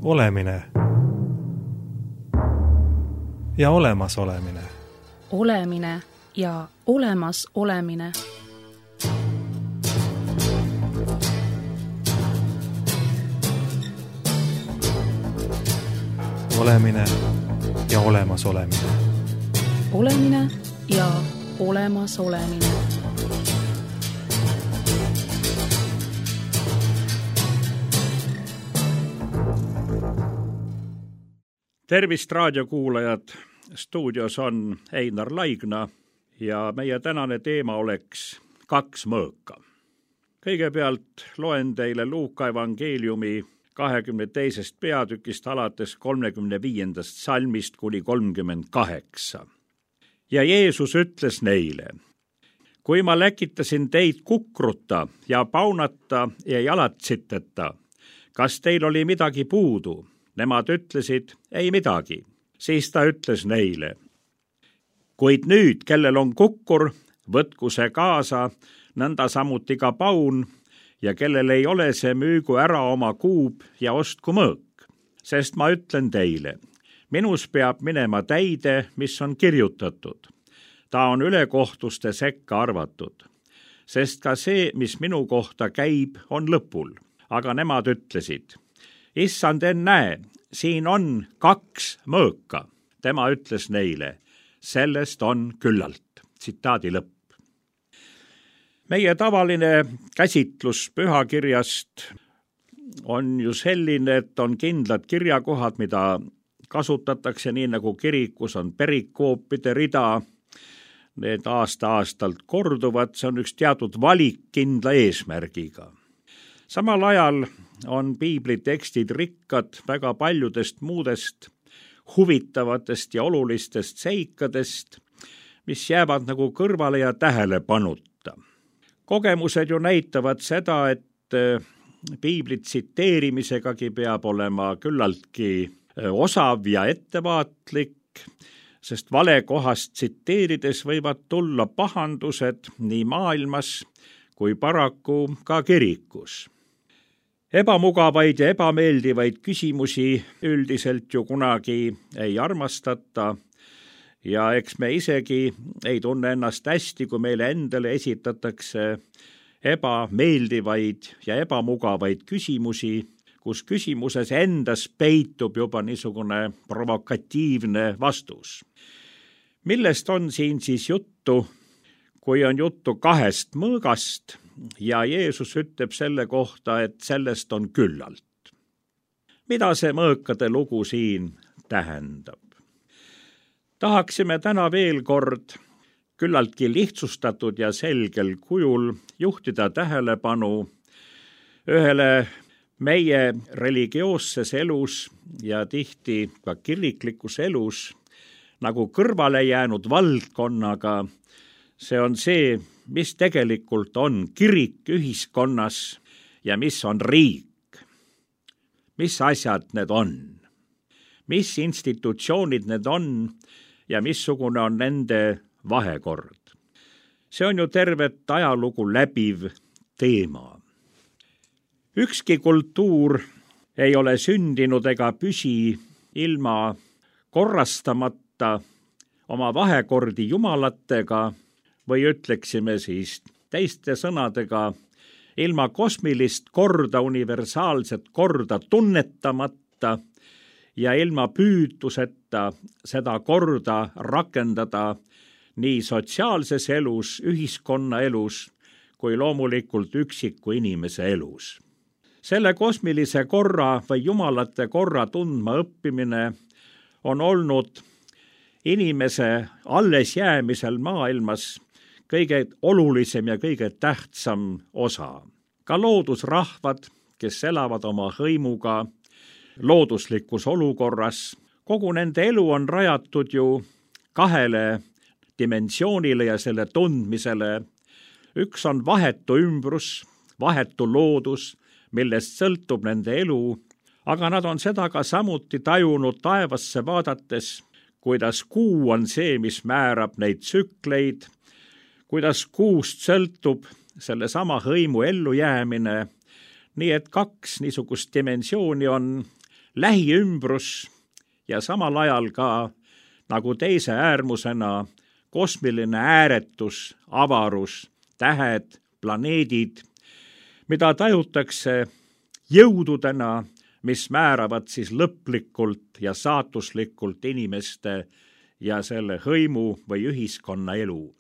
Olemine ja olemasolemine. Olemine ja olemas olemine. Olemine ja olemas olemine. Olemine ja olemas olemine. Tervist raadiokuulajad, stuudios on Einar Laigna ja meie tänane teema oleks 2 mõõka. Kõigepealt loen teile Luuka evangeeliumi 22. peatükist alates 35. salmist kuni 38. Ja Jeesus ütles neile: kui ma läkitasin teid kukruta ja paunata ja jalatsiteta, kas teil oli midagi puudu? Nemad ütlesid, ei midagi. Siis ta ütles neile: kuid nüüd, kellel on kukkur, võtku see kaasa, nõnda samuti ka paun, ja kellel ei ole, see müügu ära oma kuub ja ostku mõõk. Sest ma ütlen teile, minus peab minema täide, mis on kirjutatud. Ta on ülekohtuste sekka arvatud. Sest ka see, mis minu kohta käib, on lõpul. Aga nemad ütlesid: issand, näe, siin on 2 mõõka. Tema ütles neile: sellest on küllalt. Tsitaadi lõpp. Meie tavaline käsitlus pühakirjast on ju selline, et on kindlad kirjakohad, mida kasutatakse nii nagu kirikus on perikoopide rida. Need aasta-aastalt korduvad, see on üks teatud valik kindla eesmärgiga. Samal ajal on piiblitekstid rikkad väga paljudest muudest huvitavatest ja olulistest seikadest, mis jäävad nagu kõrvale ja tähelepanuta. Kogemused ju näitavad seda, et piibli tsiteerimisegagi peab olema küllaltki osav ja ettevaatlik, sest vale kohast tsiteerides võivad tulla pahandused nii maailmas kui paraku ka kirikus. Ebamugavaid ja ebameeldivaid küsimusi üldiselt ju kunagi ei armastata ja eks me isegi ei tunne ennast hästi, kui meile endale esitatakse ebameeldivaid ja ebamugavaid küsimusi, kus küsimuses endas peitub juba niisugune provokatiivne vastus. Millest on siin siis juttu, kui on juttu 2 mõõgast ja Jeesus ütleb selle kohta, et sellest on küllalt? Mida see mõõkade lugu siin tähendab? Tahaksime täna veel kord küllaltki lihtsustatud ja selgel kujul juhtida tähelepanu ühele meie religioosses elus ja tihti ka kiriklikus elus nagu kõrvale jäänud valdkonnaga. See on see, mis tegelikult on kirik ühiskonnas ja mis on riik. Mis asjad need on? Mis institutsioonid need on ja missugune on nende vahekord? See on ju tervet ajalugu läbiv teema. Ükski kultuur ei ole sündinud ega püsi ilma korrastamata oma vahekordi jumalatega, või ütleksime siis teiste sõnadega, ilma kosmilist korda, universaalset korda tunnetamata ja ilma püütuseta seda korda rakendada nii sotsiaalses elus, ühiskonna elus, kui loomulikult üksiku inimese elus. Selle kosmilise korra või jumalate korra tundma õppimine on olnud inimese alles jäämisel maailmas kõige olulisem ja kõige tähtsam osa. Ka loodusrahvad, kes elavad oma hõimuga looduslikus olukorras, kogu nende elu on rajatud ju 2 dimensioonile ja selle tundmisele. Üks on vahetu ümbrus, vahetu loodus, millest sõltub nende elu, aga nad on seda ka samuti tajunud taevasse vaadates, kuidas kuu on see, mis määrab neid tsükleid, kuidas kuust sõltub sellesama hõimu ellujäämine, nii et 2 niisugust dimensiooni on lähiümbrus ja samal ajal ka nagu teise äärmusena kosmiline ääretus, avarus, tähed, planeedid, mida tajutakse jõududena, mis määravad siis lõplikult ja saatuslikult inimeste ja selle hõimu või ühiskonna elu.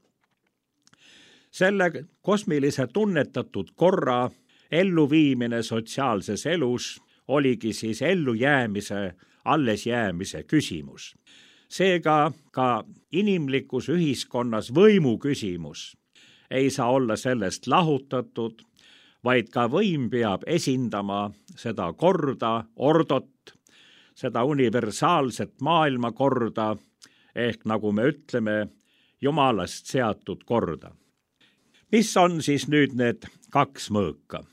Selle kosmilise tunnetatud korra elluviimine sotsiaalses elus oligi siis ellujäämise, allesjäämise küsimus. Seega ka inimlikus ühiskonnas võimu küsimus ei saa olla sellest lahutatud, vaid ka võim peab esindama seda korda, ordot, seda universaalset maailmakorda, ehk nagu me ütleme, Jumalast seatud korda. Mis on siis nüüd need kaks mõõka?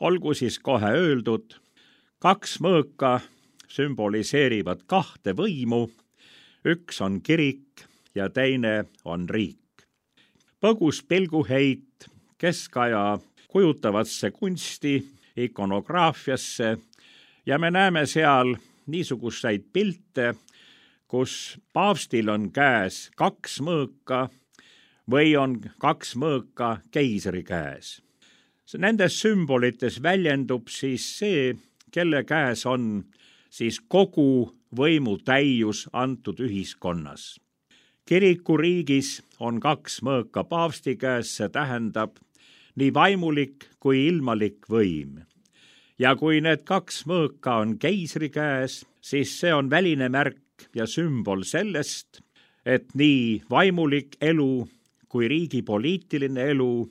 Olgu siis kohe öeldud, kaks mõõka sümboliseerivad kahte võimu, üks on kirik ja teine on riik. Põgus pilguheit keskaja kujutavasse kunsti, ikonograafiasse ja me näeme seal niisuguseid pilte, kus paavstil on käes kaks mõõka või on kaks mõõka keisri käes. Nendes sümbolites väljendub siis see, kelle käes on siis kogu võimu täius antud ühiskonnas. Kirikuriigis on kaks mõõka paavsti käes, see tähendab nii vaimulik kui ilmalik võim. Ja kui need kaks mõõka on keisri käes, siis see on väline märk ja sümbol sellest, et nii vaimulik elu kui riigi poliitiline elu,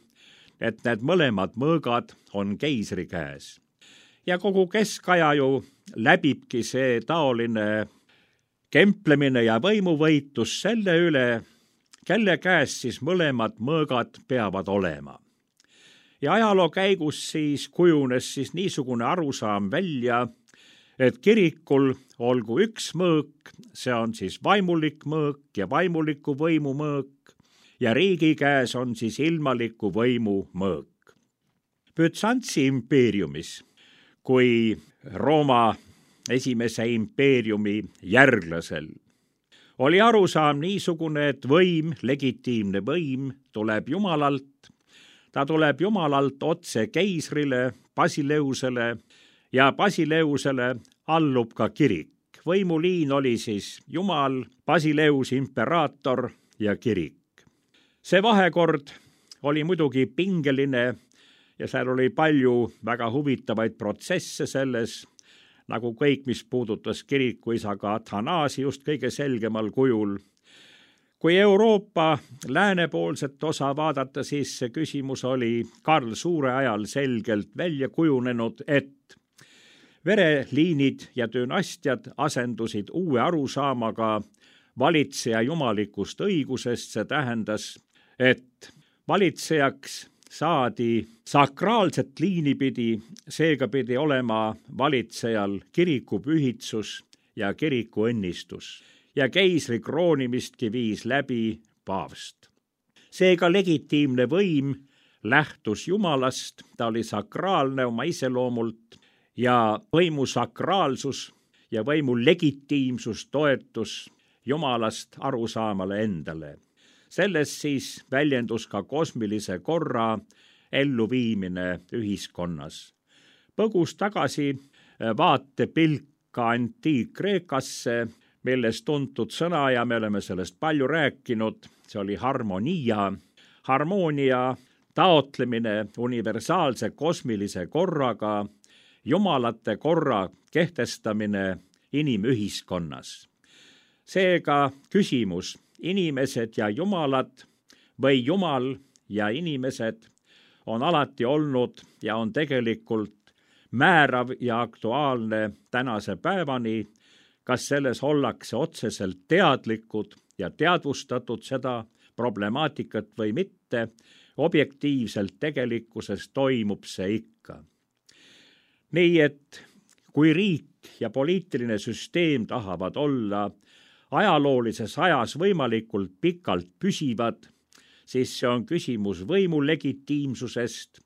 et need mõlemad mõõgad on keisri käes. Ja kogu keskaja ju läbibki see taoline kemplemine ja võimuvõitlus selle üle, kelle käes siis mõlemad mõõgad peavad olema. Ja ajaloo käigus siis kujunes siis niisugune arusaam välja, et kirikul olgu üks mõõk, see on siis vaimulik mõõk ja vaimuliku võimu mõõk, ja riigi käes on siis ilmaliku võimu mõõk. Bütsantsi impeeriumis, kui Rooma esimese impeeriumi järglasel, oli arusaam niisugune, et võim, legitiimne võim, tuleb Jumalalt. Ta tuleb Jumalalt otse keisrile, Basileusele ja Basileusele allub ka kirik. Võimuliin oli siis Jumal, Basileus, imperaator ja kirik. See vahekord oli muidugi pingeline ja seal oli palju väga huvitavaid protsesse selles, nagu kõik, mis puudutas kirikuisa ka Athanaasiust kõige selgemal kujul. Kui Euroopa läänepoolset osa vaadata, siis see küsimus oli Karl Suure ajal selgelt välja kujunenud, et vereliinid ja dünastiad asendusid uue arusaamaga valitseja jumalikust õigusest, see tähendas, et valitsejaks saadi sakraalset liini pidi, seega pidi olema valitsejal kirikupühitsus ja kirikuõnnistus ja keisri kroonimistki viis läbi paavst. Seega legitiimne võim lähtus Jumalast, ta oli sakraalne oma iseloomult ja võimu sakraalsus ja võimu legitiimsus toetus Jumalast arusaamale endale. Sellest siis väljendus ka kosmilise korra elluviimine ühiskonnas. Põgus tagasi vaatepilk ka antiik-Kreekasse, millest tuntud sõna ja me oleme sellest palju rääkinud, see oli harmonia. Harmoonia taotlemine universaalse kosmilise korraga, jumalate korra kehtestamine inimühiskonnas. Seega küsimus, inimesed ja jumalad või jumal ja inimesed on alati olnud ja on tegelikult määrav ja aktuaalne tänase päevani, kas selles ollakse otseselt teadlikud ja teadvustatud seda problemaatikat või mitte, objektiivselt tegelikkuses toimub see ikka. Nii et kui riik ja poliitiline süsteem tahavad olla ajaloolises ajas võimalikult pikalt püsivad, siis see on küsimus võimu legitiimsusest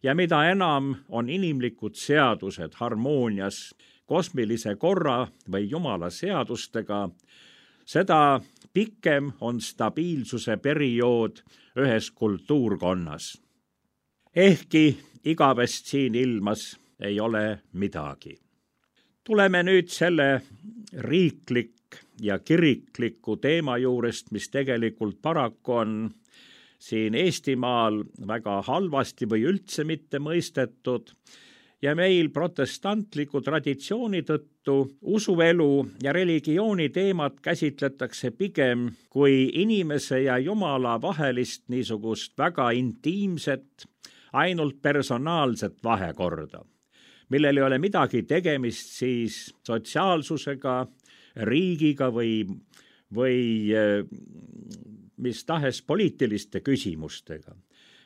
ja mida enam on inimlikud seadused harmoonias kosmilise korra või Jumala seadustega, seda pikem on stabiilsuse periood ühes kultuurkonnas. Ehkki igavest siin ilmas ei ole midagi. Tuleme nüüd selle riiklik ja kirikliku teema juurest, mis tegelikult paraku on siin Eestimaal väga halvasti või üldse mitte mõistetud ja meil protestantliku traditsiooni tõttu usuelu ja religiooni teemat käsitletakse pigem kui inimese ja Jumala vahelist niisugust väga intiimset, ainult personaalset vahekorda, millel ei ole midagi tegemist siis sotsiaalsusega, riigiga või mis tahes poliitiliste küsimustega.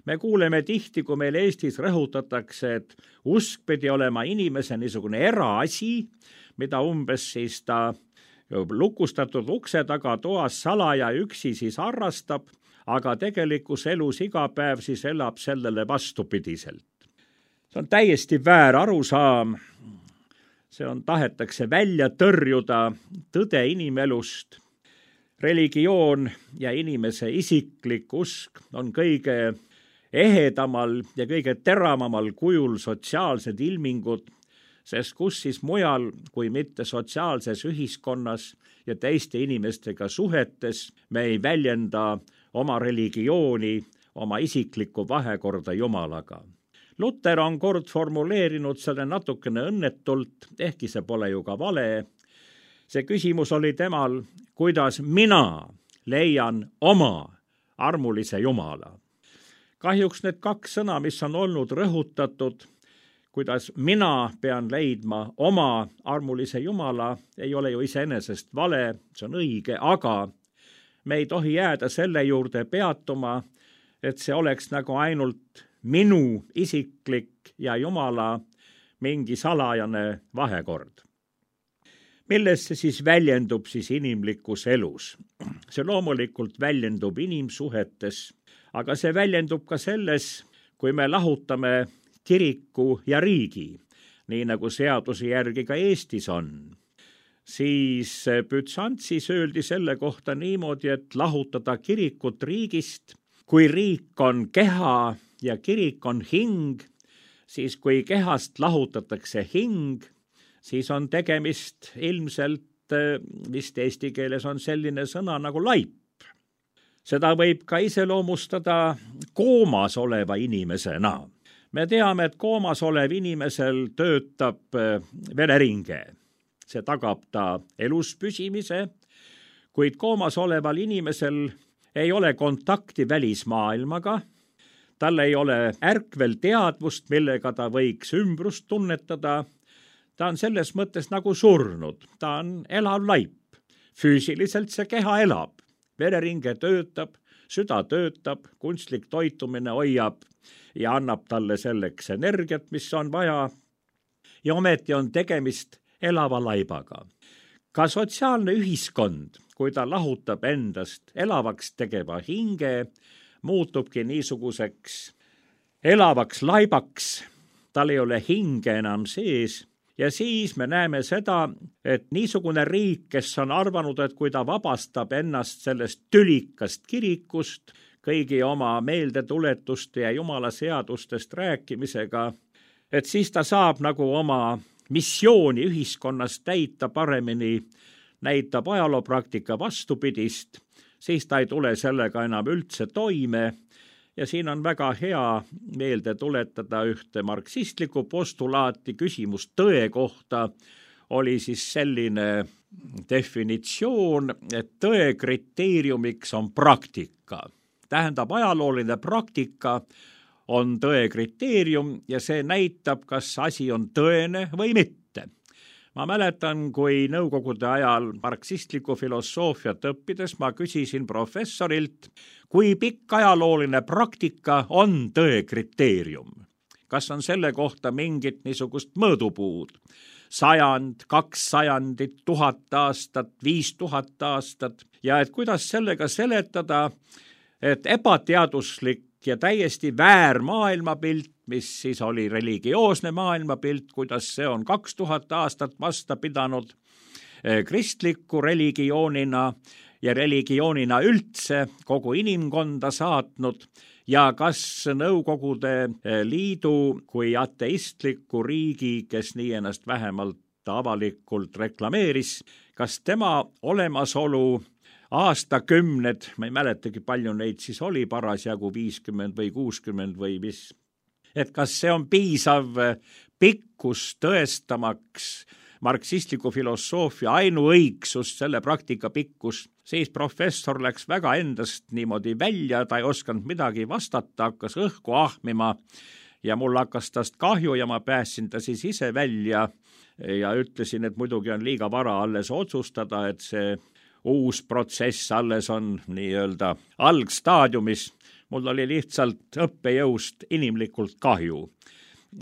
Me kuuleme tihti, kui meil Eestis rõhutatakse, et usk pidi olema inimese niisugune eraasi, mida umbes siis ta lukustatud ukse taga toas salaja üksi siis harrastab, aga tegelikus elus iga päev siis elab sellele vastupidiselt. See on täiesti väär arusaam. See tahetakse välja tõrjuda tõde inimelust. Religioon ja inimese isiklik usk on kõige ehedamal ja kõige teravamal kujul sotsiaalsed ilmingud, sest kus siis mujal kui mitte sotsiaalses ühiskonnas ja teiste inimestega suhetes me ei väljenda oma religiooni, oma isiklikku vahekorda Jumalaga. Luter on kord formuleerinud selle natukene õnnetult, ehkki see pole ju ka vale. See küsimus oli temal, kuidas mina leian oma armulise Jumala. Kahjuks need kaks sõna, mis on olnud rõhutatud, kuidas mina pean leidma oma armulise Jumala, ei ole ju iseenesest vale, see on õige, aga me ei tohi jääda selle juurde peatuma, et see oleks nagu ainult minu isiklik ja Jumala mingi salajane vahekord. Milles see siis väljendub siis inimlikus elus? See loomulikult väljendub inimsuhetes, aga see väljendub ka selles, kui me lahutame kiriku ja riigi, nii nagu seaduse järgi ka Eestis on. Siis Bütsantsis öeldi selle kohta niimoodi, et lahutada kirikut riigist, kui riik on keha ja kirik on hing, siis kui kehast lahutatakse hing, siis on tegemist ilmselt, vist eesti keeles on selline sõna nagu laip. Seda võib ka iseloomustada koomas oleva inimesena. Me teame, et koomas olev inimesel töötab vereringe. See tagab ta elus püsimise, kuid koomas oleval inimesel ei ole kontakti välismaailmaga, tal ei ole ärkvel teadvust, millega ta võiks ümbrust tunnetada. Ta on selles mõttes nagu surnud, ta on elav laip. Füüsiliselt see keha elab, vereringe töötab, süda töötab, kunstlik toitumine hoiab ja annab talle selleks energiat, mis on vaja. Ja ometi on tegemist elava laibaga. Ka sotsiaalne ühiskond, kui ta lahutab endast elavaks tegeva hinge, muutubki niisuguseks elavaks laibaks, tal ei ole hinge enam sees ja siis me näeme seda, et niisugune riik, kes on arvanud, et kui ta vabastab ennast sellest tülikast kirikust, kõigi oma meeldetuletuste ja Jumala seadustest rääkimisega, et siis ta saab nagu oma missiooni ühiskonnas täita paremini, näitab ajaloopraktika vastupidist, siis ta ei tule sellega enam üldse toime ja siin on väga hea meelde tuletada ühte marksistlikku postulaati, küsimus tõe kohta oli siis selline definitsioon, et tõe kriteeriumiks on praktika. Tähendab, ajalooline praktika on tõe kriteerium ja see näitab, kas asi on tõene või mitte. Ma mäletan, kui nõukogude ajal marksistlikku filosoofiat õppides ma küsisin professorilt, kui pikk ajalooline praktika on tõe kriteerium. Kas on selle kohta mingit niisugust mõõdupuud? 100, 200, 1000 aastat, 5000 aastat ja et kuidas sellega seletada, et ebateaduslik ja täiesti väär maailmapilt, mis siis oli religioosne maailmapilt, kuidas see on 2000 aastat vasta pidanud kristliku religioonina ja religioonina üldse kogu inimkonda saatnud ja kas Nõukogude Liidu kui ateistliku riigi, kes nii ennast vähemalt avalikult reklameeris, kas tema olemasolu aastakümned, ma ei mäletagi, palju neid siis oli parasjagu 50 või 60 või mis, et kas see on piisav pikkus tõestamaks marksistliku filosoofia ainuõigsust, selle praktika pikkus, siis professor läks väga endast niimoodi välja, ta ei osanud midagi vastata, hakkas õhku ahmima ja mul hakkas tast kahju ja ma päästsin ta siis ise välja ja ütlesin, et muidugi on liiga vara alles otsustada, et see uus protsess alles on nii-öelda algstaadiumis. Mul oli lihtsalt õppejõust inimlikult kahju.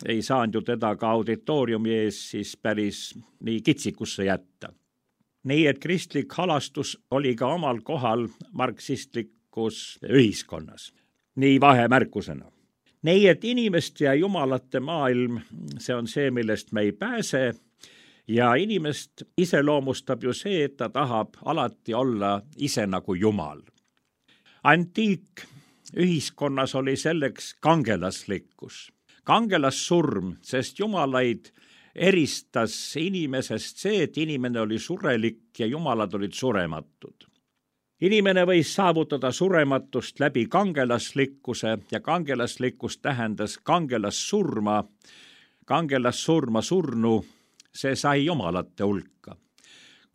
Ei saanud ju teda ka auditooriumi ees siis päris nii kitsikusse jätta. Nii et kristlik halastus oli ka omal kohal marksistlikus ühiskonnas. Nii vahemärkusena. Nii et inimeste ja jumalate maailm, see on see, millest me ei pääse ja inimest iseloomustab ju see, et ta tahab alati olla ise nagu jumal. Antiikühiskonnas oli selleks kangelaslikkus. Kangelassurm, sest jumalaid eristas inimesest see, et inimene oli surelik ja jumalad olid surematud. Inimene võis saavutada surematust läbi kangelaslikkuse ja kangelaslikkus tähendas kangelassurma surnu, see sai jumalate hulka.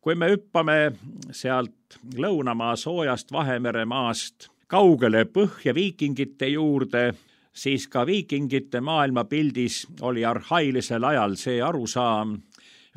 Kui me hüppame sealt lõunamaa soojast Vahemere maast kaugele põhja viikingite juurde, siis ka viikingite maailmapildis oli arhailisel ajal see arusaam,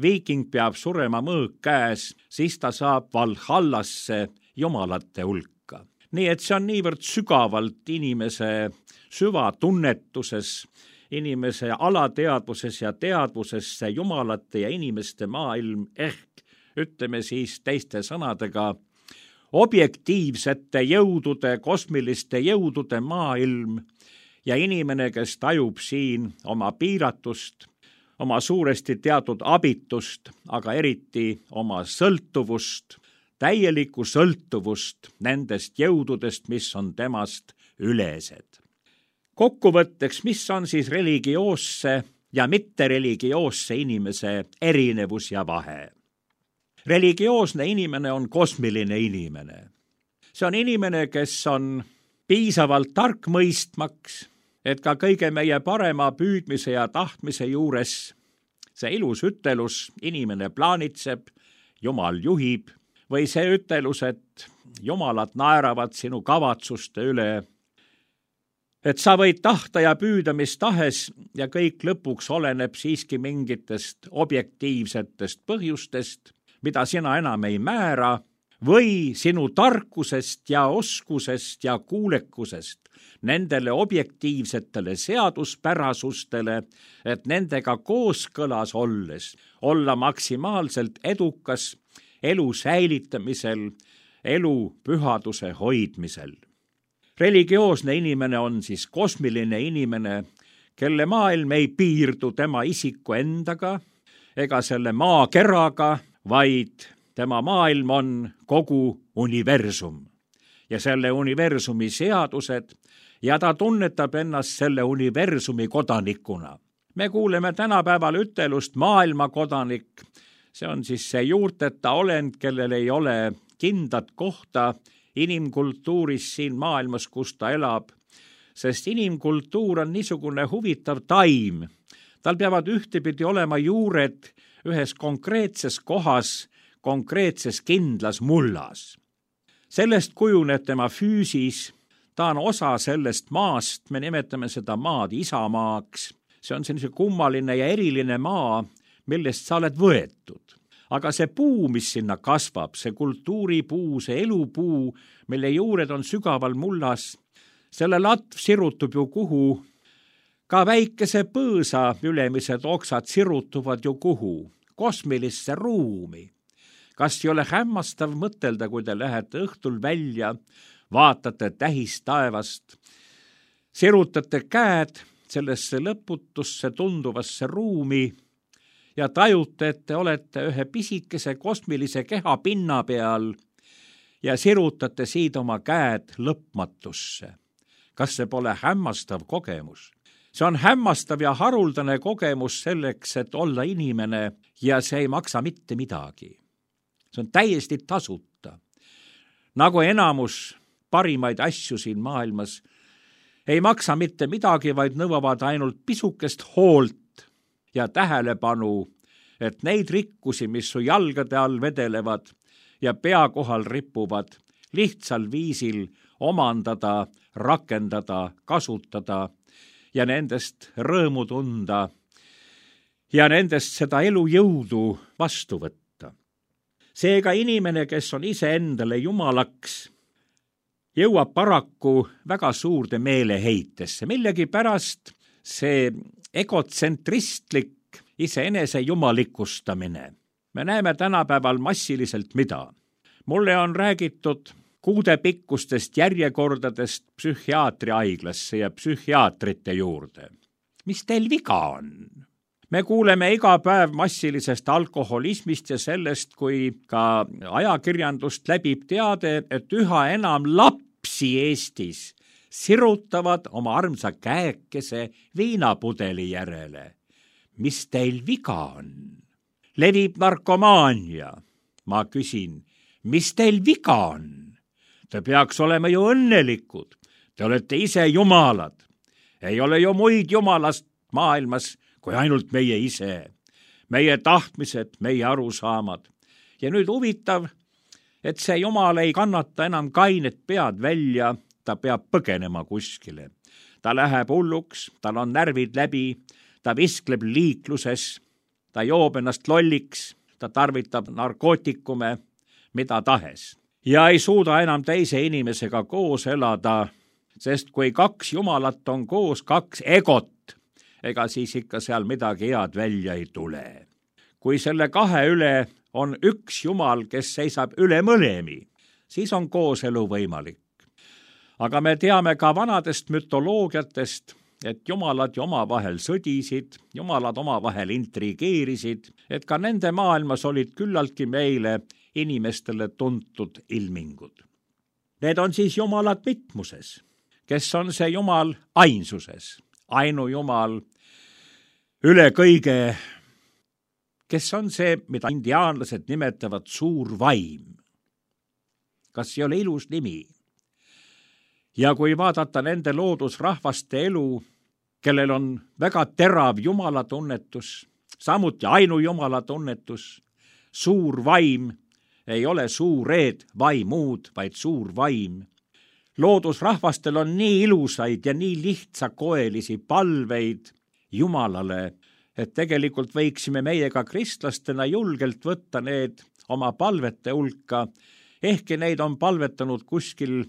viiking peab surema mõõk käes, siis ta saab Valhallasse jumalate hulka. Nii et see on niivõrd sügavalt inimese süvatunnetuses, inimese alateadvuses ja teadvuses see jumalate ja inimeste maailm ehk, ütleme siis teiste sõnadega, objektiivsete jõudude, kosmiliste jõudude maailm ja inimene, kes tajub siin oma piiratust, oma suuresti teatud abitust, aga eriti oma sõltuvust, täielikku sõltuvust nendest jõududest, mis on temast ülesed. Kokkuvõtteks, mis on siis religioosse ja mittereligioosse inimese erinevus ja vahe? Religioosne inimene on kosmiline inimene. See on inimene, kes on piisavalt tark mõistmaks, et ka kõige meie parema püüdmise ja tahtmise juures see ilus ütelus, inimene plaanitseb, Jumal juhib, või see ütelus, et jumalad naeravad sinu kavatsuste üle, et sa võid tahta ja püüda mis tahes ja kõik lõpuks oleneb siiski mingitest objektiivsetest põhjustest, mida sina enam ei määra, või sinu tarkusest ja oskusest ja kuulekusest nendele objektiivsetele seaduspärasustele, et nendega kooskõlas olles olla maksimaalselt edukas elu säilitamisel, elu pühaduse hoidmisel. Religioosne inimene on siis kosmiline inimene, kelle maailm ei piirdu tema isiku endaga ega selle maakeraga, vaid tema maailm on kogu universum ja selle universumi seadused ja ta tunnetab ennast selle universumi kodanikuna. Me kuuleme tänapäeval ütelust maailmakodanik. See on siis see juurteta olend, kellel ei ole kindlat kohta inimkultuuris siin maailmas, kus ta elab, sest inimkultuur on niisugune huvitav taim. Tal peavad ühtepidi olema juured ühes konkreetses kohas, konkreetses kindlas mullas. Sellest kujuneb tema füüsis, ta on osa sellest maast, me nimetame seda maad isamaaks. See on sellise kummaline ja eriline maa, millest sa oled võetud. Aga see puu, mis sinna kasvab, see kultuuripuu, see elupuu, mille juured on sügaval mullas, selle latv sirutub ju kuhu, ka väikese põõsa ülemised oksad sirutuvad ju kuhu, kosmilisse ruumi. Kas ei ole hämmastav mõtelda, kui te lähete õhtul välja, vaatate tähistaevast sirutate käed sellesse lõputusse tunduvasse ruumi ja tajute, et te olete ühe pisikese kosmilise keha pinna peal ja sirutate siit oma käed lõpmatusse. Kas see pole hämmastav kogemus? See on hämmastav ja haruldane kogemus selleks, et olla inimene ja see ei maksa mitte midagi. See on täiesti tasuta. Nagu enamus parimaid asju siin maailmas ei maksa mitte midagi, vaid nõuavad ainult pisukest hoolt ja tähelepanu, et neid rikkusi, mis su jalgade all vedelevad ja pea kohal ripuvad, lihtsal viisil omandada, rakendada, kasutada ja nendest rõõmu tunda ja nendest seda elujõudu vastu võtta. Seega inimene, kes on iseendale jumalaks, jõuab paraku väga suurde meeleheitesse. Millegipärast see egotsentristlik iseenese jumalikustamine. Me näeme tänapäeval massiliselt mida. Mulle on räägitud kuudepikkustest järjekordadest psühhiaatriaiglasse ja psühhiaatrite juurde. Mis teil viga on? Me kuuleme iga päev massilisest alkoholismist ja sellest, kui ka ajakirjandust läbib teade, et üha enam lapsi Eestis sirutavad oma armsa käekese viinapudeli järele. Mis teil viga on? Levib narkomaania. Ma küsin, mis teil viga on? Te peaks olema ju õnnelikud. Te olete ise jumalad. Ei ole ju muid jumalast maailmas kui ainult meie ise. Meie tahtmised, meie arusaamad. Ja nüüd huvitav, et see jumal ei kannata enam kainet pead välja, ta peab põgenema kuskile. Ta läheb hulluks, tal on närvid läbi, ta viskleb liikluses, ta joob ennast lolliks, ta tarvitab narkootikume, mida tahes. Ja ei suuda enam teise inimesega koos elada, sest kui kaks jumalat on koos, kaks egot, ega siis ikka seal midagi head välja ei tule. Kui selle kahe üle on üks jumal, kes seisab üle mõlemi, siis on kooselu võimalik. Aga me teame ka vanadest mütoloogiatest, et jumalad ju omavahel sõdisid, jumalad omavahel intrigeerisid, et ka nende maailmas olid küllaltki meile inimestele tuntud ilmingud. Need on siis jumalad mitmuses, kes on see jumal ainsuses, ainujumal üle kõige, kes on see, mida indiaanlased nimetavad suur vaim. Kas ei ole ilus nimi? Ja kui vaadata nende loodusrahvaste elu, kellel on väga terav jumalatunnetus, samuti ainujumalatunnetus, suur vaim, ei ole suured vaimud, vaid suur vaim. Loodusrahvastel on nii ilusaid ja nii lihtsakoelisi palveid Jumalale, et tegelikult võiksime meiega kristlastena julgelt võtta need oma palvete hulka, ehkki neid on palvetanud kuskil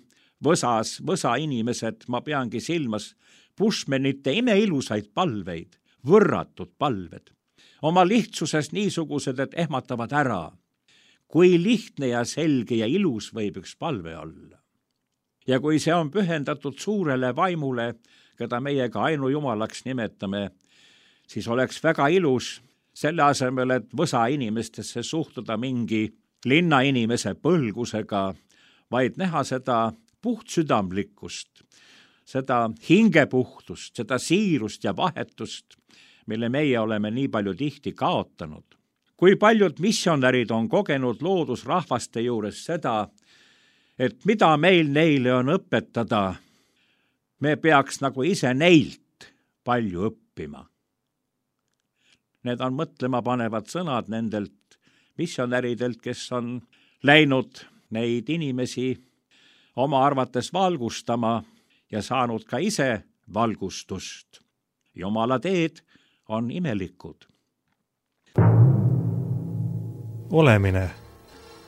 võsa inimesed, ma peangi silmas Bushmanite imeilusaid palveid, võrratud palved. Oma lihtsuses niisugused, et ehmatavad ära, kui lihtne ja selge ja ilus võib üks palve olla. Ja kui see on pühendatud suurele vaimule, keda meiega ainujumalaks nimetame, siis oleks väga ilus selle asemel, et võsa inimestesse suhtuda mingi linnainimese põlgusega, vaid näha seda puhtsüdamlikkust, seda hingepuhtust, seda siirust ja vahetust, mille meie oleme nii palju tihti kaotanud. Kui paljud missionärid on kogenud loodusrahvaste juures seda, et mida meil neile on õpetada, me peaks nagu ise neilt palju õppima. Need on mõtlema panevad sõnad nendelt missionäridelt, kes on läinud neid inimesi oma arvates valgustama ja saanud ka ise valgustust. Jumala teed on imelikud. Olemine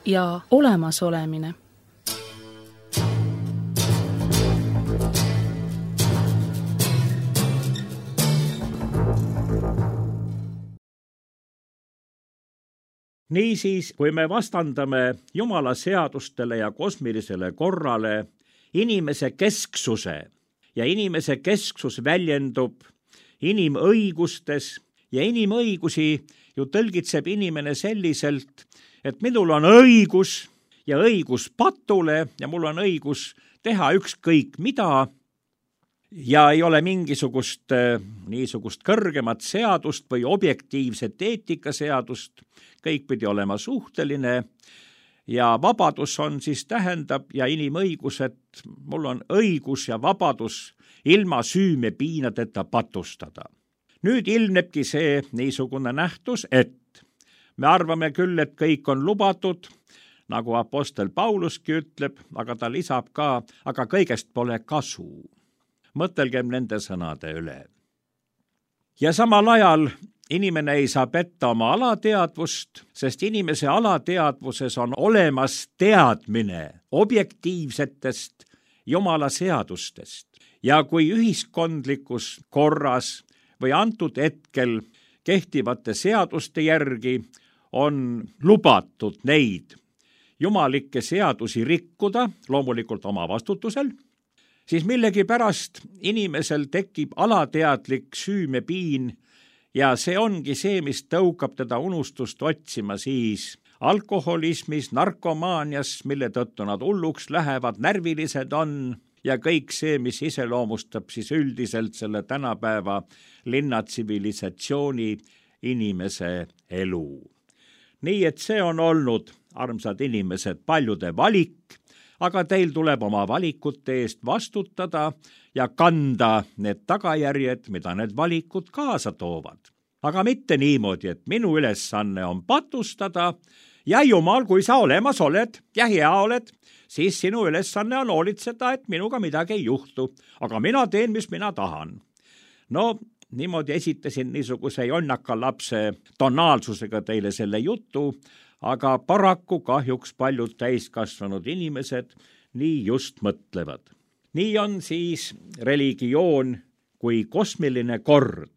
ja olemasolemine. Niisiis, kui me vastandame Jumala seadustele ja kosmilisele korrale inimese kesksuse ja inimese kesksus väljendub inimõigustes ja inimõigusi ju tõlgitseb inimene selliselt, et minul on õigus ja õigus patule ja mul on õigus teha ükskõik mida ja ei ole mingisugust niisugust kõrgemat seadust või objektiivset eetikaseadust, kõik pidi olema suhteline ja vabadus on siis tähendab ja inimõigused, mul on õigus ja vabadus ilma süümepiinadeta patustada. Nüüd ilmnebki see niisugune nähtus, et me arvame küll, et kõik on lubatud, nagu apostel Pauluski ütleb, aga ta lisab ka, aga kõigest pole kasu. Mõtelgem nende sõnade üle. Ja samal ajal inimene ei saa petta oma alateadvust, sest inimese alateadvuses on olemas teadmine objektiivsetest Jumala seadustest. Ja kui ühiskondlikus korras või antud hetkel kehtivate seaduste järgi on lubatud neid jumalikke seadusi rikkuda, loomulikult oma vastutusel, siis millegipärast inimesel tekib alateadlik süümepiin ja see ongi see, mis tõukab teda unustust otsima siis alkoholismis, narkomaanias, mille tõttu nad hulluks lähevad, närvilised on ja kõik see, mis iseloomustab siis üldiselt selle tänapäeva linnatsivilisatsiooni inimese elu. Nii et see on olnud, armsad inimesed, paljude valik, aga teil tuleb oma valikute eest vastutada ja kanda need tagajärjed, mida need valikud kaasa toovad. Aga mitte niimoodi, et minu ülesanne on patustada ja jumal, kui sa olemas oled ja hea oled, siis sinu ülesanne on hoolitseda, et minuga midagi ei juhtu, aga mina teen, mis mina tahan. No, niimoodi esitasin niisuguse jonnaka lapse tonaalsusega teile selle jutu, aga paraku kahjuks paljud täiskasvanud inimesed nii just mõtlevad. Nii on siis religioon kui kosmiline kord.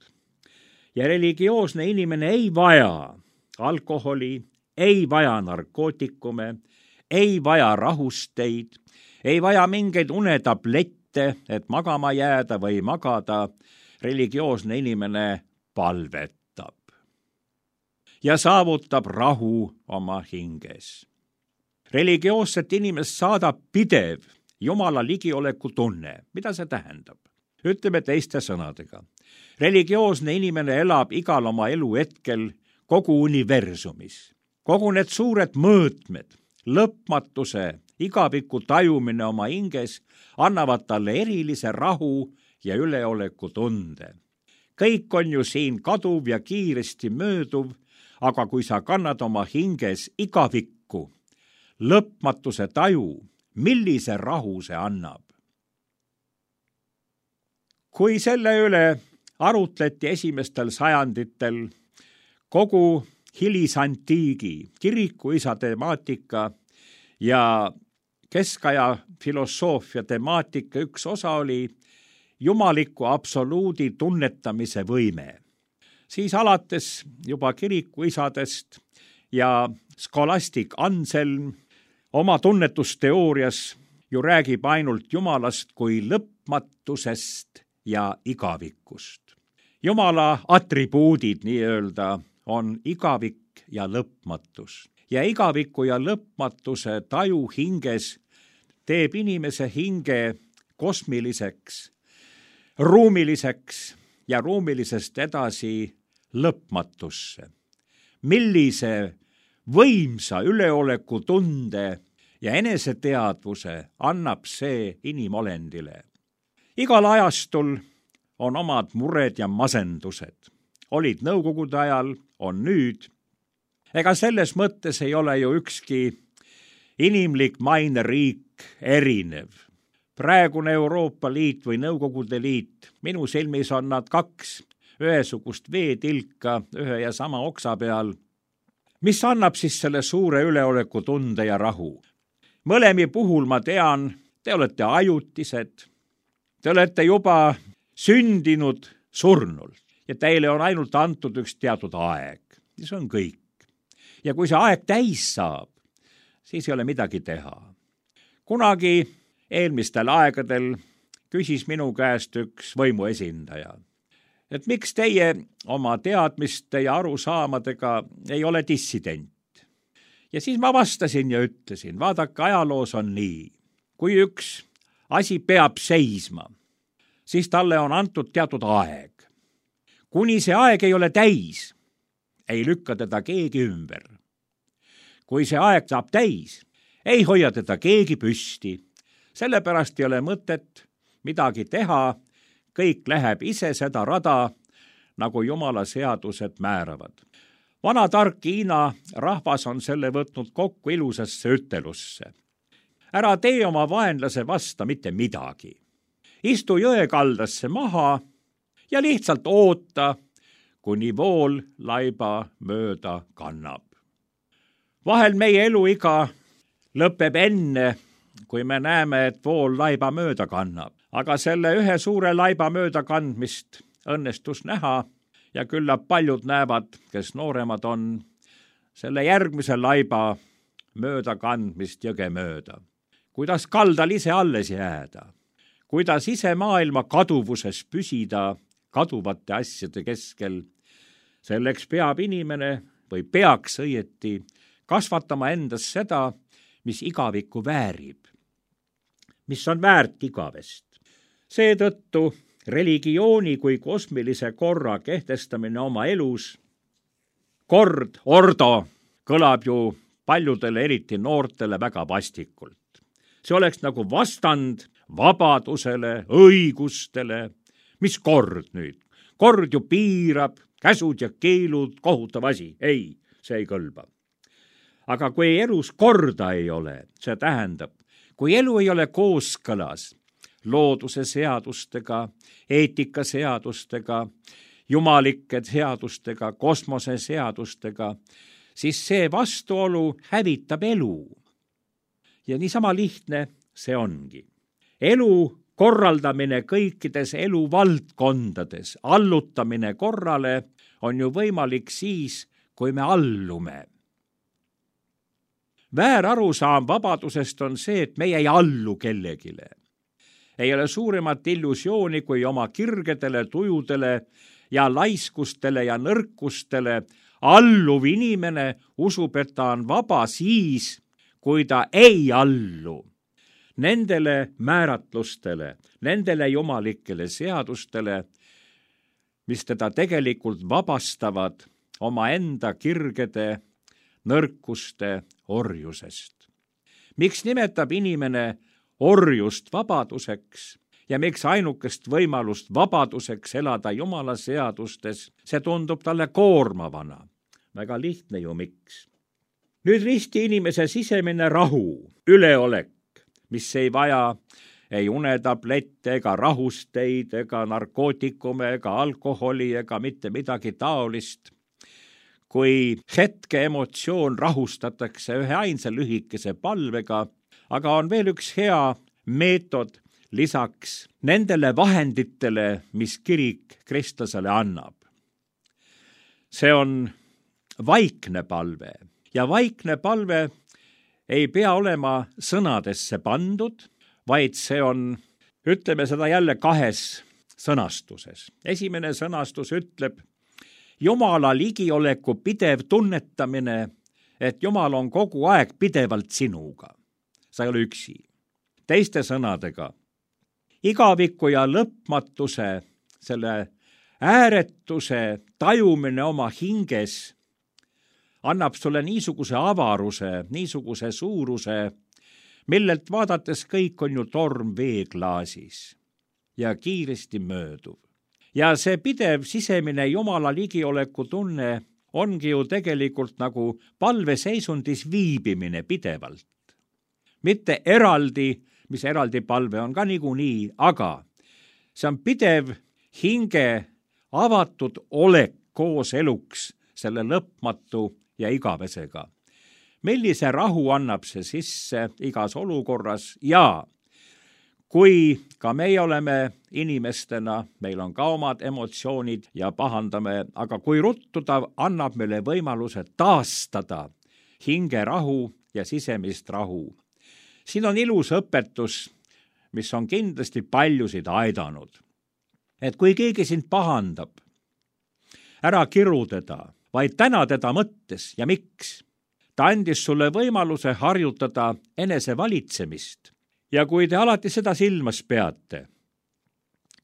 Ja religioosne inimene ei vaja alkoholi, ei vaja narkootikume, ei vaja rahusteid, ei vaja mingeid unetablette, et magama jääda või magada. Religioosne inimene palvetab ja saavutab rahu oma hinges. Religioosset inimest saadab pidev Jumala ligioleku tunne. Mida see tähendab? Ütleme teiste sõnadega. Religioosne inimene elab igal oma elu hetkel kogu universumis. Kogu need suured mõõtmed, lõpmatuse, igaviku tajumine oma hinges annavad talle erilise rahu ja üleoleku tunde. Kõik on ju siin kaduv ja kiiresti mööduv, aga kui sa kannad oma hinges igavikku, lõpmatuse taju, millise rahu see annab? Kui selle üle arutleti esimestel sajanditel kogu hilisantiigi kirikuisa temaatika ja keskaja filosoofia temaatika üks osa oli jumaliku absoluudi tunnetamise võime. Siis alates juba kirikuisadest ja skolastik Anselm oma tunnetusteoorias ju räägib ainult Jumalast kui lõpmatusest ja igavikust. Jumala atribuudid nii-öelda on igavik ja lõpmatus. Ja igaviku ja lõpmatuse taju hinges teeb inimese hinge kosmiliseks, ruumiliseks ja ruumilisest edasi lõpmatusse. Millise võimsa üleoleku tunde ja eneseteadvuse annab see inimolendile. Igal ajastul on omad mured ja masendused. Olid nõukogude ajal, on nüüd. Ega selles mõttes ei ole ju ükski inimlik maineriik erinev. Praegune Euroopa Liit või Nõukogude Liit, minu silmis on nad kaks ühesugust veetilka ühe ja sama oksa peal, mis annab siis selle suure üleoleku tunde ja rahu. Mõlemi puhul ma tean, te olete ajutised, te olete juba sündinud surnult ja teile on ainult antud üks teatud aeg. Ja see on kõik. Ja kui see aeg täis saab, siis ei ole midagi teha. Kunagi eelmistel aegadel küsis minu käest üks võimuesindaja, et miks teie oma teadmiste ja arusaamadega ei ole dissident. Ja siis ma vastasin ja ütlesin, vaadake, ajaloos on nii. Kui üks asi peab seisma, siis talle on antud teatud aeg. Kuni see aeg ei ole täis, ei lükka teda keegi ümber. Kui see aeg saab täis, ei hoia teda keegi püsti. Sellepärast ei ole mõtet midagi teha, kõik läheb ise seda rada, nagu Jumala seadused määravad. Vana tark Hiina rahvas on selle võtnud kokku ilusasse ütelusse. Ära tee oma vaenlase vasta mitte midagi. Istu jõekaldasse maha ja lihtsalt oota, kuni vool laiba mööda kannab. Vahel meie eluiga lõpeb enne, kui me näeme, et vool laiba mööda kannab. Aga selle ühe suure laiba mööda kandmist õnnestus näha ja küllap paljud näevad, kes nooremad on, selle järgmise laiba mööda kandmist jõge mööda. Kuidas kaldal ise alles jääda, kuidas ise maailma kaduvuses püsida kaduvate asjade keskel. Selleks peab inimene või peaks õieti kasvatama endas seda, mis igavikku väärib, mis on väärt igavest. Seetõttu religiooni kui kosmilise korra kehtestamine oma elus, kord, ordo, kõlab ju paljudele, eriti noortele, väga vastikult. See oleks nagu vastand vabadusele, õigustele. Mis kord nüüd? Kord ju piirab, käsud ja keelud, kohutav asi. Ei, see ei kõlba. Aga kui elus korda ei ole, see tähendab, kui elu ei ole kooskõlas looduse seadustega, eetika seadustega, jumalike seadustega, kosmose seadustega, siis see vastuolu hävitab elu. Ja niisama lihtne see ongi. Elu korraldamine kõikides eluvaldkondades, allutamine korrale on ju võimalik siis, kui me allume. Väärarusaam vabadusest on see, et meie ei allu kellegile. Ei ole suuremat illusiooni, kui oma kirgedele, tujudele ja laiskustele ja nõrkustele alluv inimene usub, et ta on vaba siis, kui ta ei allu nendele määratlustele, nendele jumalikele seadustele, mis teda tegelikult vabastavad omaenda kirgede, nõrkuste orjusest. Miks nimetab inimene orjust vabaduseks ja miks ainukest võimalust vabaduseks elada Jumala seadustes, see tundub talle koormavana. Väga lihtne ju miks. Nüüd risti inimese sisemine rahu, üleolek, mis ei vaja ei unetablette ega rahusteid ega narkootikume ega alkoholi ega mitte midagi taolist. Kui hetke emotsioon rahustatakse ühe ainsa lühikese palvega, aga on veel üks hea meetod lisaks nendele vahenditele, mis kirik kristlasele annab. See on vaikne palve ja vaikne palve ei pea olema sõnadesse pandud, vaid see on, ütleme seda jälle kahes sõnastuses. Esimene sõnastus ütleb Jumala ligioleku pidev tunnetamine, et Jumal on kogu aeg pidevalt sinuga. Sa ei ole üksi. Teiste sõnadega, igaviku ja lõpmatuse, selle ääretuse tajumine oma hinges annab sulle niisuguse avaruse, niisuguse suuruse, millelt vaadates kõik on ju torm veeklaasis ja kiiresti mööduv. Ja see pidev sisemine Jumala ligioleku tunne ongi ju tegelikult nagu palveseisundis viibimine pidevalt. Mitte eraldi, mis eraldi palve on ka niikuinii, aga see on pidev hinge avatud olek koos eluks selle lõpmatu ja igavesega. Millise rahu annab see sisse igas olukorras ja kui ka meie oleme inimestena, meil on ka omad emotsioonid ja pahandame, aga kui ruttu ta annab meile võimaluse taastada hingerahu ja sisemist rahu. Siin on ilus õpetus mis on kindlasti paljusid aidanud. Et kui keegi sind pahandab, ära kiru teda, vaid täna teda mõttes ja miks. Ta andis sulle võimaluse harjutada enesevalitsemist. Ja kui te alati seda silmas peate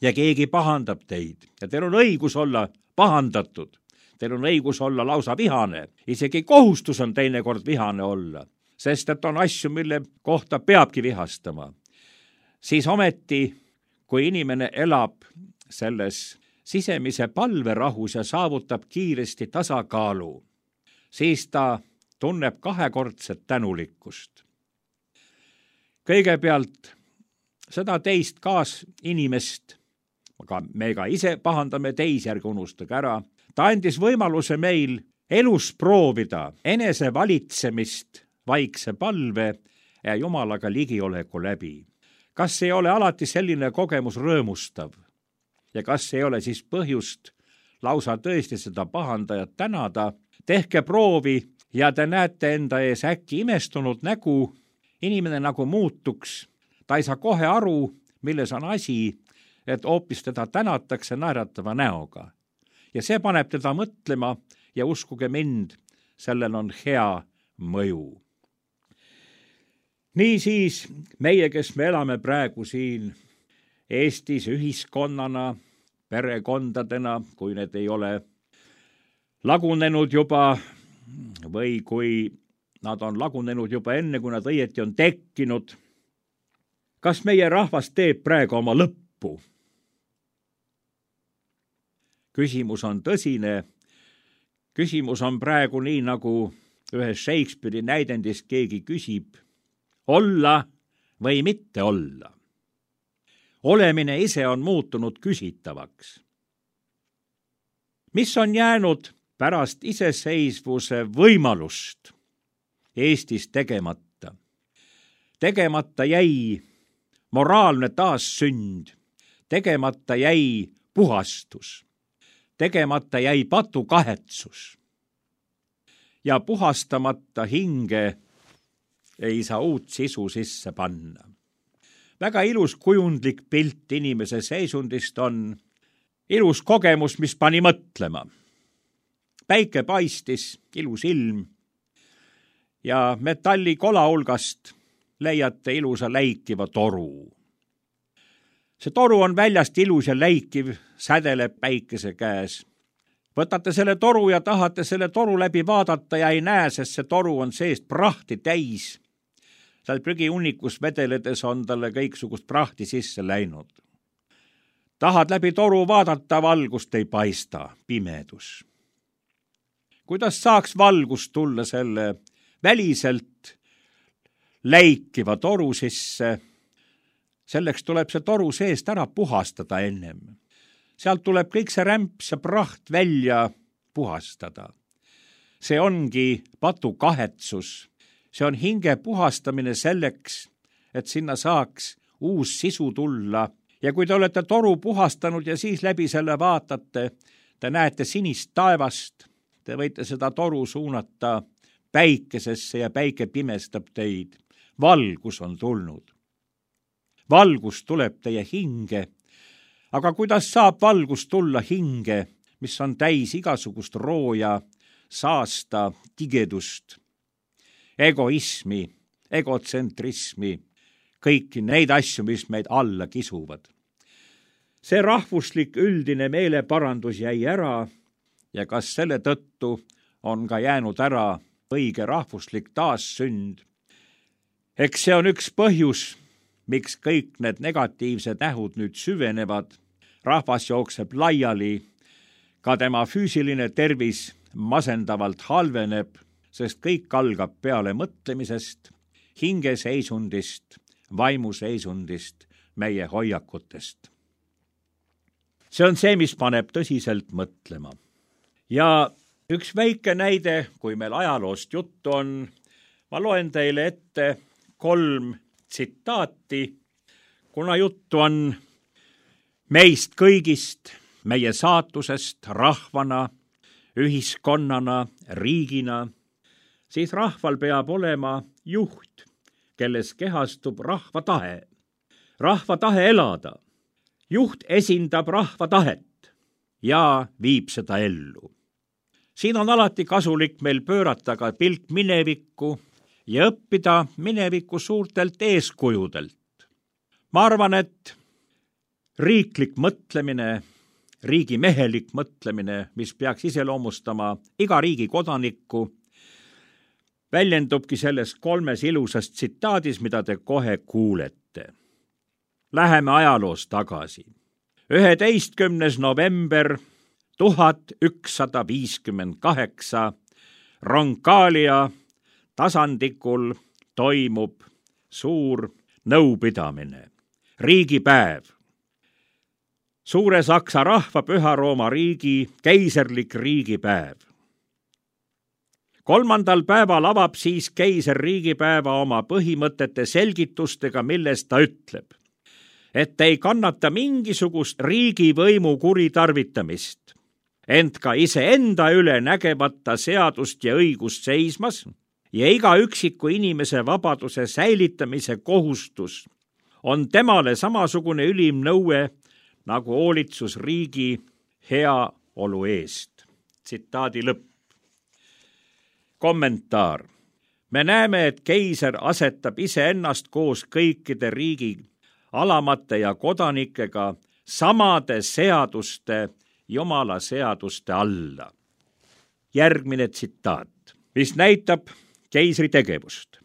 ja keegi pahandab teid ja teil on õigus olla pahandatud, teil on õigus olla lausa vihane, isegi kohustus on teinekord vihane olla, sest et on asju, mille kohta peabki vihastama, siis ometi, kui inimene elab selles sisemise palverahus ja saavutab kiiresti tasakaalu, siis ta tunneb kahekordset tänulikkust. Kõigepealt seda teist kaasinimest, aga me ka ise pahandame teisi, ärge unustage ära, ta andis võimaluse meil elus proovida enesevalitsemist vaikse palve ja Jumalaga ligioleku läbi. Kas ei ole alati selline kogemus rõõmustav? Ja kas ei ole siis põhjust lausa tõesti seda pahandajat tänada? Tehke proovi ja te näete enda ees äkki imestunud nägu, inimene nagu muutuks, ta ei saa kohe aru, milles on asi, et hoopis teda tänatakse naeratava näoga. Ja see paneb teda mõtlema ja uskuge mind, sellel on hea mõju. Niisiis meie, kes me elame praegu siin Eestis ühiskonnana, perekondadena, kui need ei ole lagunenud juba või kui nad on lagunenud juba enne, kui nad õieti on tekkinud. Kas meie rahvas teeb praegu oma lõppu? Küsimus on tõsine. Küsimus on praegu nii, nagu ühes Shakespeare'i näidendis keegi küsib, olla või mitte olla. Olemine ise on muutunud küsitavaks. Mis on jäänud pärast iseseisvuse võimalust Eestis tegemata? Tegemata jäi moraalne taassünd, tegemata jäi puhastus, tegemata jäi patukahetsus ja puhastamata hinge ei saa uut sisu sisse panna. Väga ilus kujundlik pilt inimese seisundist on ilus kogemus, mis pani mõtlema. Päike paistis, ilus ilm ja metallikola hulgast leiate ilusa läikiva toru. See toru on väljast ilus ja läikiv, sädeleb päikese käes. Võtate selle toru ja tahate selle toru läbi vaadata ja ei näe, sest see toru on seest prahti täis. Seal prügiunnikus vedeledes on talle kõiksugust prahti sisse läinud. Tahad läbi toru vaadata, valgust ei paista, pimedus. Kuidas saaks valgust tulla selle väliselt läikiva toru sisse? Selleks tuleb see toru seest ära puhastada ennem. Sealt tuleb kõik see rämps ja praht välja puhastada. See ongi patukahetsus. See on hinge puhastamine selleks, et sinna saaks uus sisu tulla. Ja kui te olete toru puhastanud ja siis läbi selle vaatate, te näete sinist taevast, te võite seda toru suunata päikesesse ja päike pimestab teid. Valgus on tulnud. Valgus tuleb teie hinge. Aga kuidas saab valgus tulla hinge, mis on täis igasugust rooja, saasta, tigedust, egoismi, egotsentrismi, kõiki neid asju, mis meid alla kisuvad. See rahvuslik üldine meeleparandus jäi ära ja kas selle tõttu on ka jäänud ära õige rahvuslik taassünd? Eks see on üks põhjus, miks kõik need negatiivsed nähud nüüd süvenevad. Rahvas jookseb laiali, ka tema füüsiline tervis masendavalt halveneb, sest kõik algab peale mõtlemisest, hingeseisundist, vaimuseisundist, meie hoiakutest. See on see, mis paneb tõsiselt mõtlema. Ja üks väike näide, kui meil ajaloost juttu on, ma loen teile ette 3 tsitaati, kuna juttu on meist kõigist, meie saatusest rahvana, ühiskonnana, riigina, siis rahval peab olema juht, kelles kehastub rahva tahe. rahva tahe elada. Juht esindab rahva tahet ja viib seda ellu. Siin on alati kasulik meil pöörata ka pilk minevikku ja õppida mineviku suurtelt eeskujudelt. Ma arvan, et riiklik mõtlemine, riigimehelik mõtlemine, mis peaks iseloomustama iga riigi kodanikku, väljendubki selles 3 ilusas tsitaadis, mida te kohe kuulete. Läheme ajaloos tagasi. 11. november 1158 Roncaglia tasandikul toimub suur nõupidamine, riigipäev. Suure Saksa rahva Püha Rooma riigi keiserlik riigipäev. 3. päeval avab siis keiser riigipäeva oma põhimõtete selgitustega, milles ta ütleb, et ei kannata mingisugust riigivõimu kuritarvitamist, ent ka iseenda üle nägemata seadust ja õigust seismas ja iga üksiku inimese vabaduse säilitamise kohustus on temale samasugune ülim nõue nagu hoolitsus riigi heaolu eest. Tsitaadi lõpp. Kommentaar. Me näeme, et keiser asetab iseennast koos kõikide riigi alamate ja kodanikega samade seaduste, Jumala seaduste alla. Järgmine tsitaat, mis näitab keisri tegevust.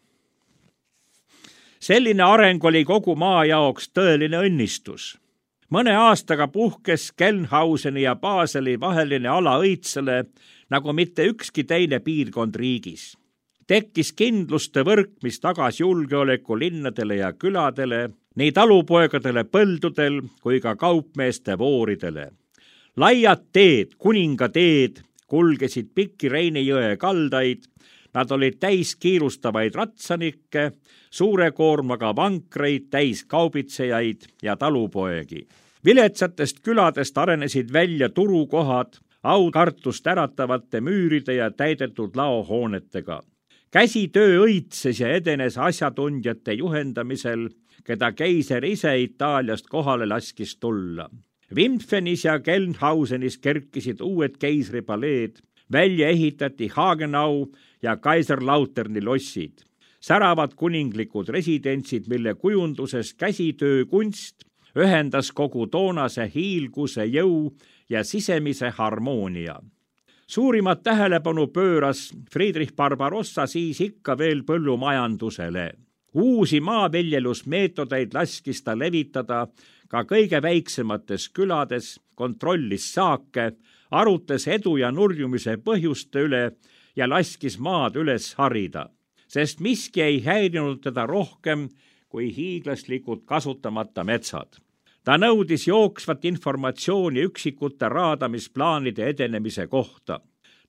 Selline areng oli kogu maa jaoks tõeline õnnistus. Mõne aastaga puhkes Gelnhauseni ja Baseli vaheline ala õitsele nagu mitte ükski teine piirkond riigis. Tekkis kindluste võrk, mis tagas julgeoleku linnadele ja küladele, nii talupoegadele põldudel kui ka kaupmeeste vooridele. Laiad teed, kuningateed, kulgesid pikki Reini jõe kaldaid, nad olid täis kiirustavaid ratsanikke, suure koormaga vankreid, täis kaubitsejaid ja talupoegi. Viletsatest küladest arenesid välja turukohad, aukartust äratavate müüride ja täidetud laohoonetega. Käsitöö õitses ja edenes asjatundjate juhendamisel, keda keiser ise Itaaliast kohale laskis tulla. Wimpfenis ja Gelnhausenis kerkisid uued keisripaleed, välja ehitati Hagenau ja Kaiserlauterni lossid. Säravad kuninglikud residentsid, mille kujunduses käsitöökunst ühendas kogu toonase hiilguse jõu ja sisemise harmoonia. Suurimat tähelepanu pööras Friedrich Barbarossa siis ikka veel põllumajandusele. Uusi maaviljelusmeetodeid laskis ta levitada ka kõige väiksemates külades, kontrollis saake, arutas edu ja nurjumise põhjuste üle ja laskis maad üles harida, sest miski ei häirinud teda rohkem kui hiiglaslikud kasutamata metsad. Ta nõudis jooksvat informatsiooni üksikute raadamisplaanide edenemise kohta.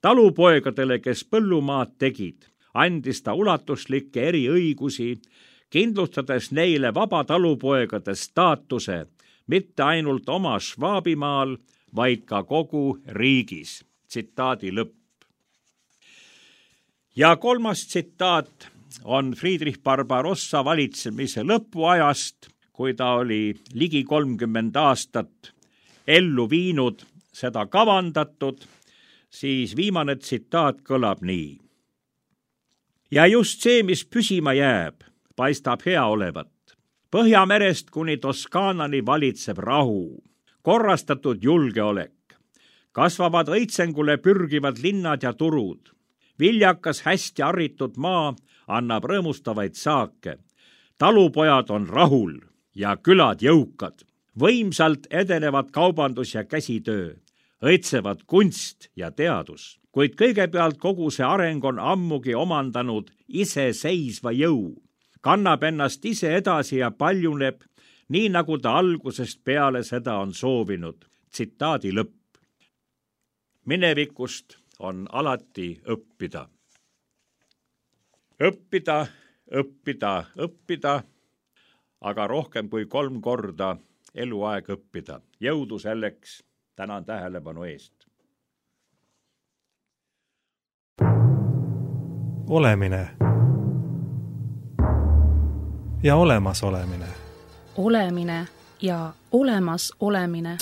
Talupoegadele, kes põllumaad tegid, andis ta ulatuslikke eriõigusi, kindlustades neile vaba talupoegade staatuse, mitte ainult oma Schwabimaal, vaid ka kogu riigis. Tsitaadi lõpp. Ja 3. tsitaat on Friedrich Barbarossa valitsemise lõpuajast, kui ta oli ligi 30 aastat ellu viinud seda kavandatud, siis viimane tsitaat kõlab nii. Ja just see, mis püsima jääb, paistab hea olevat. Põhjamerest kuni Toskaanani valitseb rahu, korrastatud julgeolek. Kasvavad õitsengule pürgivad linnad ja turud. Viljakas hästi arritud maa annab rõõmustavaid saake. Talupojad on rahul ja külad jõukad. Võimsalt edenevad kaubandus ja käsitöö. Õitsevad kunst ja teadus. Kuid kõigepealt kogu see areng on ammugi omandanud iseseisva jõu. Kannab ennast ise edasi ja paljuneb, nii nagu ta algusest peale seda on soovinud. Tsitaadi lõpp. Minevikust on alati õppida. Õppida, õppida, õppida, aga rohkem kui 3 korda eluaeg õppida. Jõudu selleks, tänan tähelepanu eest. Olemine ja olemasolemine. olemine ja olemas olemine.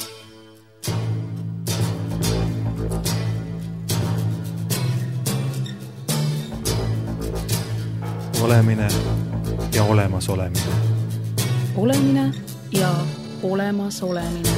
Olemine ja olemas olemine. Olemine ja olemas olemine.